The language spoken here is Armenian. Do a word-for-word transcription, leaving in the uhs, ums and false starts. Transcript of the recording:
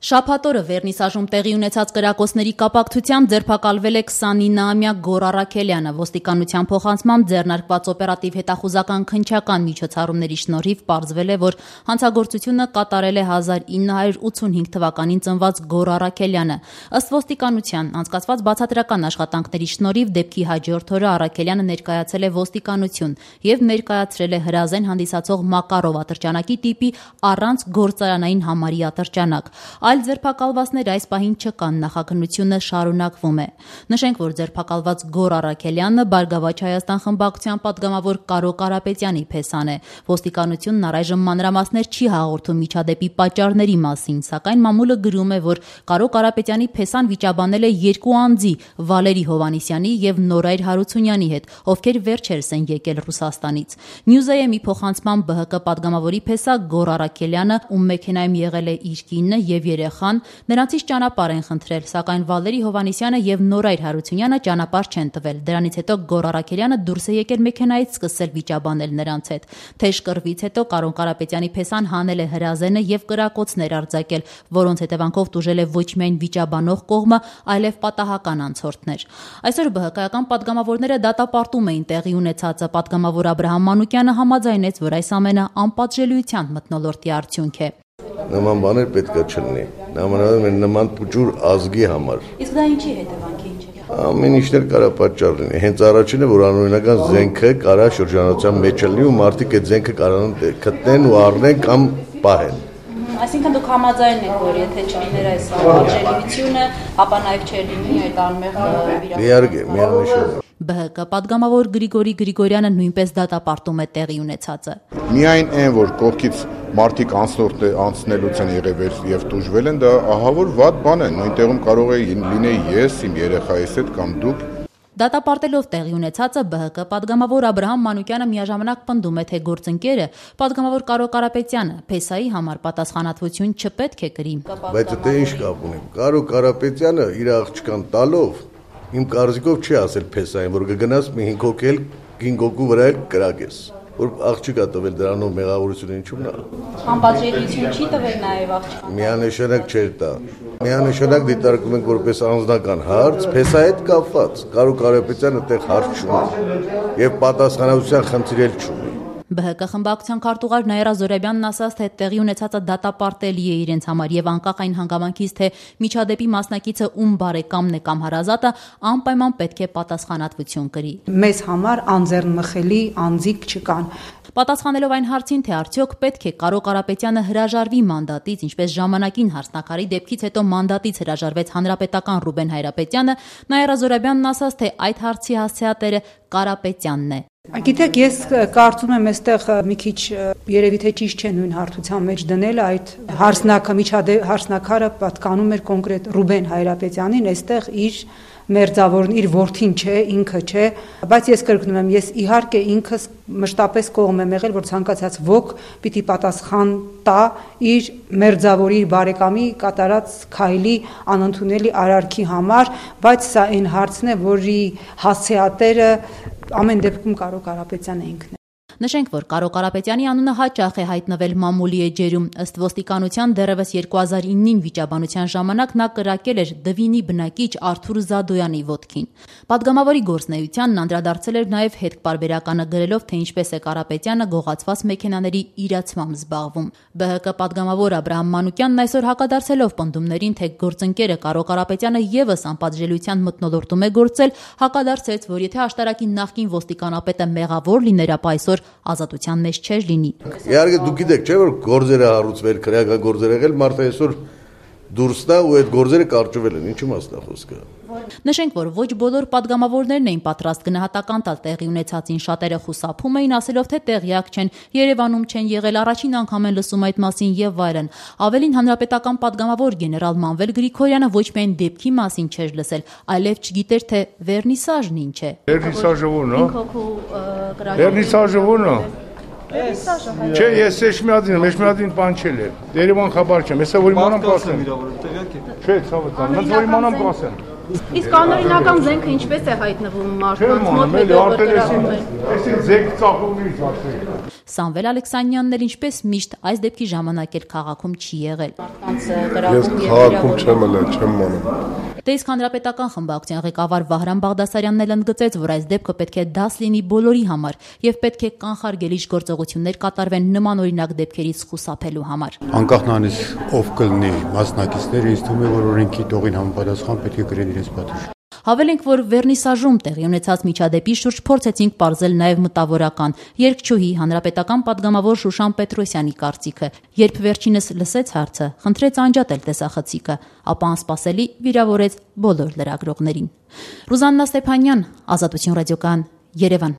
Շաբաթօրը Վերնիսաժում տեղի ունեցած կրակոցների կապակցությամբ ձերբակալվել է քսանինամյա Գոռ Առաքելյանը։ Ոստիկանության փոխանցմամբ ձեռնարկված օպերատիվ հետախուզական քննչական միջոցառումների շնորհիվ պարզվել է, որ հանցագործությունը կատարել է հազար ինը հարյուր ութսունհինգ թվականին ծնված Գոռ Առաքելյանը։ Ըստ ոստիկանության, անցկացված բացատրական աշխատանքների շնորհիվ դեպքի հաջորդ օրը Առաքելյանը ներկայացել է ոստիկանություն եւ ներկայացրել է հրազեն հանդիսացող Մակարով ատրճանակի տիպի առանց գործարանային համարի ատրճանակ։ Այլ ձերբակալվածներ այս պահին չկան, նախաքննությունը շարունակվում է։ Նշենք, որ ձերբակալված Գոռ Առաքելյանը Բարգավաճ Հայաստան խմբակցության պատգամավոր Կարո Կարապետյանի փեսան է։ Ոստիկանությունն առայժմ մանրամասներ չի հաղորդում միջադեպի պատճառների մասին, սակայն մամուլը գրում է, որ Կարո Կարապետյանի փեսան վիճաբանել է երկու անձի՝ Վալերի Հովհաննիսյանի եւ Նորայր Հարությունյանի հետ, ովքեր վերջերս են եկել Ռուսաստանից։ Նյուզեյեմի փոխանցմամբ ԲՀԿ պատգամավորի փեսա Գոռ Առաքելյանը, ում մեքենայում եղել է իր կինը եւ երեխան, նրանցից ճանապարհ են խնդրել, սակայն Վալերի Հովհաննիսյանը եւ Նորայր Հարությունյանը ճանապարհ չեն տվել։ Դրանից հետո Գոռ Առաքելյանը դուրս է եկել մեքենայից, սկսել վիճաբանել նրանց հետ։ Թեժ կռվից հետո Կարո Կարապետյանի փեսան հանել է հրազենը եւ կրակոցներ արձակել, որոնց հետևանքով տուժել է ոչ միայն վիճաբանող կողմը, այլև պատահական անցորդներ։ Այսօր ԲՀԿ-ական պատգամավորները դատապարտում էին տեղի ունեցածը։ Պատգամավոր Աբրահամ Մանուկյանը համաձայնեց, որ այս ամենը անպատժելիության մթնոլորտի արդյունք է։ Նման բաներ պետք է չլինի։ Նամանավանդ մեր նման փուճուր ազգի համար։ Իսկ դա ինչի հետևանքի ինչ է։ Ամեն ինչներ կարա պատճառ լինի։ Հենց առաջինը, որ անօրինական զենքը կարա շրջանառության մեջ լինի ու մարդիկ այդ զենքը կարան գտնեն ու առնեն կամ պահեն։ Այսինքն դուք համաձայն եք, որ եթե չլիներ այս պատժելիությունը, ապա նաև չէր լինի այդ անմեղ վիրավորությունը։ Իհարկե, միանշանակ։ ԲՀԿ պատգամավոր Գրիգորի Գրիգորյանը նույնպես դատապարտում է տեղի ունեցածը։ Միայն այն, որ կողքից մարդիկ անցնորդ անցնելուց են եղել եւ տուժվել են, դա ահա որ վատ բան է։ Նույն տեղում կարող է լինել ես, իմ երեխայիս հետ կամ դուք։ Դատապարտելով տեղի ունեցածը ԲՀԿ պատգամավոր Աբրահամ Մանուկյանը միաժամանակ պնդում է, թե գործընկերը պատգամավոր Կարո Կարապետյանը փեսայի համար պատասխանատվություն չպետք է կրի։ Բայց դա ինչ կապ ունի։ Կարո Կարապետյանը իր աղջկան տալով իմ կարծիքով չի ասել փեսային, որ կգնաս մի հինգ հոգի էլ հինգ հոգու վրա էլ կրակես, որ աղջիկա տվել դրանով մեղավորություն ինչու՞մն է։ Անպատժելիություն չի տվել նաև աղջիկան։ Միանշանակ չէր տա։ Միանշանակ դիտարկում ենք որպես անձնական հարց, փեսայի հետ կապված։ Կարո Կարապետյանը այդտեղ հարց չունի եւ պատասխանատվության խնդիր էլ չունի։ ԲՀԿ խմբակցության քարտուղար Նաիրա Զոհրաբյանն ասաց, թե տեղի ունեցածը դատապարտելի է իրենց համար եւ անկախ այն հանգամանքից, թե միջադեպի մասնակիցը ում բարեկամն է կամ հարազատը, անպայման պետք է պատասխանատվություն կրի։ Մեզ համար անձեռնմխելի անձիկ չկան։ Պատասխանելով այն հարցին, թե արդյոք պետք է Կարո Կարապետյանը հրաժարվի մանդատից, ինչպես ժամանակին Հարսնաքարի դեպքից հետո մանդատից հրաժարվեց հանրապետական Ռուբեն Հայրապետյանը, Նաիրա Զոհրաբյանն ասաց, թե այդ հարցի հասցեատերը Կարապետյանն է։ Գիտեք, ես կարծում եմ, այստեղ մի քիչ երևի թե ճիշտ չէ նույն հարթության մեջ դնել այդ հարսնակը միջադեպ հարսնակարը պատկանում էր կոնկրետ Ռուբեն Հայրապետյանին, այստեղ իր մերձավորն իր որդին չէ, ինքը չէ, բայց ես կրկնում եմ, ես իհարկե ինքս մշտապես կողմ եմ եղել, որ ցանկացած ոք պիտի պատասխան տա իր մերձավորի բարեկամի կատարած քայլի անընդունելի արարքի համար, բայց սա այն հարցն է, որի հասցեատերը ամեն դեպքում Կարո Կարապետյանը ինքն է։ Նշենք, որ Կարո Կարապետյանի անունը հաճախ է հայտնվել մամուլի էջերում։ Ըստ ոստիկանության դեռևս երկու հազար իննին վիճաբանության ժամանակ նա կրակել էր Դվինի բնակիչ Արթուր Զադոյանի ոտքին։ Պատգամավորի գործնեությանն անդրադարձել էր նաև հետպարբերականը գրելով, թե ինչպես է Կարապետյանը գողացված մեքենաների իրացմամբ զբաղվում։ ԲՀԿ պատգամավոր Աբրահամ Մանուկյանն այսօր հակադարձելով պնդումներին, թե գործընկերը Կարո Կարապետյանը եւս անպատժելիության մթնոլորտում է գործել, հակադարձեց, որ եթե աշտարակի նախկին ոստիկանապետը մեղավոր լիներ, ապա այսօր ազատության մեջ չէր լինի։ Իհարկե դուք գիտեք, չէ՞ որ գործերը հարուցվել, քրեական գործեր եղել, մարդը այսօր դուրս տա ու այդ գործերը կարճվել են, ինչու մասն է խոսքը։ Նշենք, որ ոչ բոլոր պատգամավորներն էին պատրաստ գնահատական տալ տեղի ունեցածին, շատերը խուսափում էին, ասելով, թե տեղյակ չեն, Երևանում չեն եղել, առաջին անգամ են լսում այդ մասին եւ այլն։ Ավելին, հանրապետական պատգամավոր գեներալ Մանվել Գրիգորյանը ոչ միայն դեպքի մասին չէր լսել, այլև չգիտեր, թե վերնիսաժն ինչ է։ Վերնիսաժը ո՞ն է։ Վերնիսաժը ո՞ն է։ Չէ, ես Էշմիադին, Էշմիադին պանչել է։ Երևան խաբար չեմ, հեսա որ իմանամ կասեմ։ Չէ, ցավոտ, ոնց որ իմանամ կասեմ։ Իսկ անօրինական զենքը ինչպես է հայտնվում մարդկանց մոտ, հետո կրակում են։ Այսինքն զենք ծախումից ասել։ Սամվել Ալեքսանյանն էլ ինչպես միշտ այս դեպքի ժամանակ էլ քաղաքում չի եղել։ Ես քաղաքում չեմ ելել, չեմ մանում։ Դե իսկ հանրապետական խմբակցության ղեկավար Վահրամ Բաղդասարյանն էլ ընդգծեց, որ այս դեպքը պետք է դաս լինի բոլորի համար եւ պետք է կանխարգելիչ գործողություններ կատարվեն նմանօրինակ դեպքերից խուսափելու համար։ Անկախ նրանից ով կլինի մասնակիցները, ինձ թվում է, որ օրենքի տողին համապատասխան պետք է կրեն իրենց պատիժը։ Հավելենք, որ Վերնիսաժում տեղի ունեցած միջադեպի շուրջ փորձեցինք պարզել նաև մտավորական երգչուհի հանրապետական պատգամավոր Շուշան Պետրոսյանի կարծիքը, երբ վերջինս լսեց հարցը, խնդրեց անջատել տեսախցիկը, ապա անսպասելի վիրավորեց բոլոր լրագրողներին։ Ռուզաննա Ստեփանյան, Ազատություն ռադիոկայան, Երևան։